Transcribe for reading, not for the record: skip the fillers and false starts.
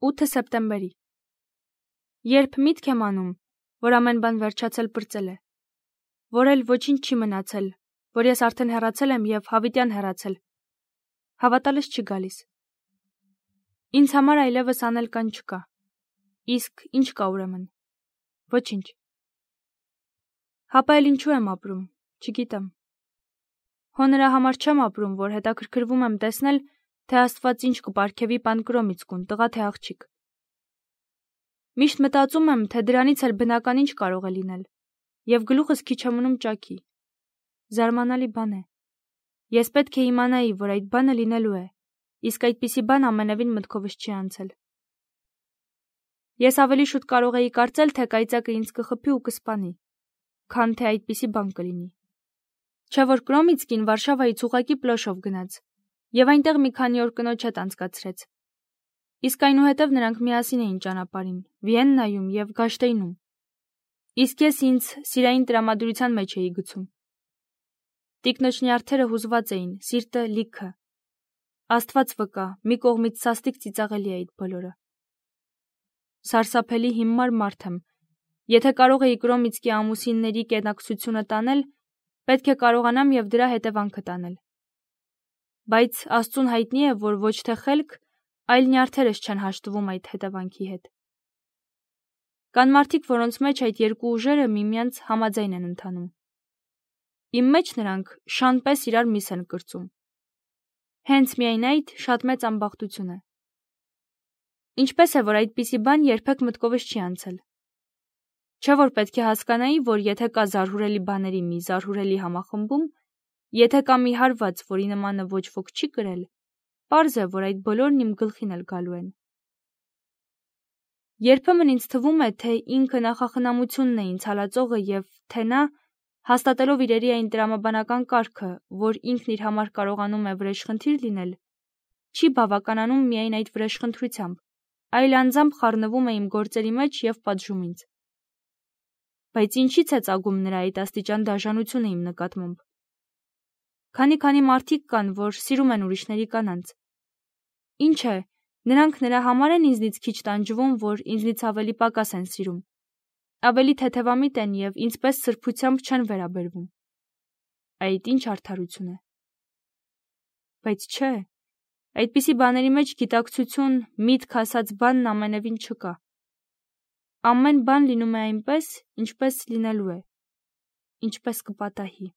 8 սեպտեմբերի։ Երբ միտք եմ անում, որ ամեն բան վերջացել պրծել է, որ էլ ոչինչ չի մնացել, որ ես արդեն հեռացել եմ և հավիտյան հեռացել, հավատալս չի գալիս։ Ինձ համար այլևս անել կան չկա։ Իսկ ինչ կա ուրեմն։ Ոչինչ։ Հապա էլ ինչու եմ ապրում, չգիտեմ։ Հո նրա համար չեմ ապրում, որ հետաքրքրվում եմ տեսնել, թե Աստված ինչ կպարգևի Պանկրոմիցկուն, տղա թե աղջիկ։ Միշտ մտածում եմ, թե դրանից էլ բնական ինչ կարող է լինել, և գլուխս քիչ է մնում ճաքի։ Զարմանալի բան է։ Ես պետք է իմանայի, որ այդ բանը լինելու է, իսկ այդպիսի բան ամենևին մտքովս չի անցել։ Ես ավելի շուտ կարող էի կարծել, թե կայծակը ինձ կխփի ու կսպանի, քան թե այդպիսի բան կլինի։ Չէ որ Կրոմիցկին Վարշավայից ուղղակի պլոշով գնաց, և այնտեղ մի քանի օր կնոջ հետ անցկացրեց։ Իսկ այնուհետև նրանք միասին էին ճանապարհին, Վիեննայում և Գաշտեյնում։ Իսկ ես ինձ սիրային տրամադրության մեջ էի գցում։ Տիկնոջ նյարդերը հուզված էին, սիրտը լիքը։ Աստված վկա, մի կողմից սաստիկ ծիծաղելի է այդ բոլորը։ Սարսափելի հիմար մարդ եմ։ Եթե կարող էի Կրոմիցկի ամուսինների կենակցությունը տանել, պետք է կարողանամ և դրա հետևանքը տանել։ Բայց Աստծուն հայտնի է, որ ոչ թե խելք, այլ նյարդերս չեն հաշտվում այդ հետևանքի հետ։ Կան մարդիկ, որոնց մեջ այդ երկու ուժերը միմյանց համաձայն են ընթանում։ Իմ մեջ նրանք շան պես իրար միս են կրծում։ Հենց միայն այդ շատ մեծ ամբախտություն է։ Ինչպես է, որ այդպիսի բան երբեք մտքովս չի անցել։ Չէ որ պետք է հասկանայի, որ եթե կա զարհուրելի բաների մի զարհուրելի համախմբում, եթե կա մի հարված, որի նմանը ոչ ոք չի կրել, պարզ է, որ այդ բոլորն իմ գլխին էլ գալու են։ Երբեմն ինձ թվում է, թե ինքը նախախնամությունն է ինձ հալածողը և թե նա, հաստատելով իրերի այն տրամաբանական կարգը, որ ինքն իր համար կարողանում է վրեժխնդիր լինել, չի բավականանում միայն այդ վրեժխնդրությամբ, այլ անձամբ խառնվում է իմ գործերի մեջ և պատժում ինձ։ Բայց ինչի՞ց է ծագում նրա այդ աստիճան դաժանությունը իմ նկատմամբ։ Քանի մարդիկ կան, որ սիրում են ուրիշների կանանց։ Ինչ է, նրանք նրա համար են ինձնից քիչ տանջվում, որ ինձնից ավելի պակաս են սիրում, ավելի թեթևամիտ են և ինձ պես սրբությամբ չեն վերաբերվում։ Այդ ինչ արդարություն է։ Բայց չէ, այդպիսի բաների մեջ գիտակցություն, միտք ասած բանն ամենևին չկա։ Ամեն բան լինում է այնպես, ինչպես լինելու է, ինչպես կպատահի։